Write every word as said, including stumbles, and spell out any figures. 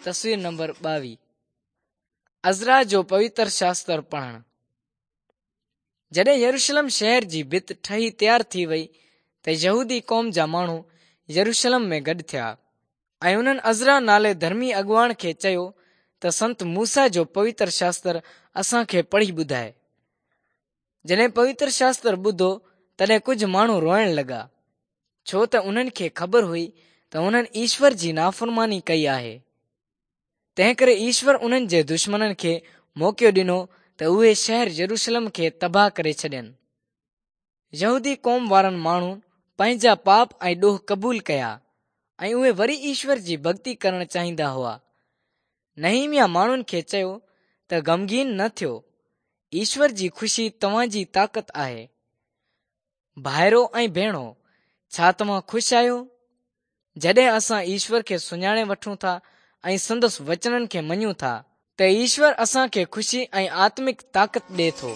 تصوير نمبر ٻاويهه. عزرا جو پوتر شاستر پڙهڻ. جڏهن يروشلم شهر جي ڀت ٺهي تيار ٿي وئي ته يهودي قوم جا ماڻهو يروشلم ۾ گڏ ٿيا ۽ انهن عزرا نالي ڌرمي اڳواڻ کي چيو ته سنت موسيٰ جو پوتر شاستر اسان کي پڙهي ٻڌائي. جڏهن پوتر شاستر ٻڌو تڏهن ڪجهه ماڻهو روئڻ لڳا، ڇو ته انهن کي خبر هئي ته انهن ايشور جي نافرماني ڪئي آهي. تنهن ڪري ايشور انهن جي دشمنن کي موقعو ڏنو ته اهي شهر يروشلم کي تباهه ڪري ڇڏين. يهودي قوم وارن ماڻهن پنهنجا پاپ ۽ ڏوهه قبول ڪيا ۽ اهي وري ايشور جي ڀڳتي ڪرڻ چاهيندا هئا. نحيمياه ماڻهن کي چيو ته غمگين نه ٿيو، ايشور جي خوشي توهان جي طاقت آهي. ڀائرو ۽ ڀيڻو، ڇا توهان خوش آهيو؟ جڏهن اسان ايشور کي سڃاڻي وٺون ٿا ۽ سندس وچنن کي مڃون ٿا ته ايشور اسان کي خوشي ۽ آتمڪ طاقت ڏئي ٿو.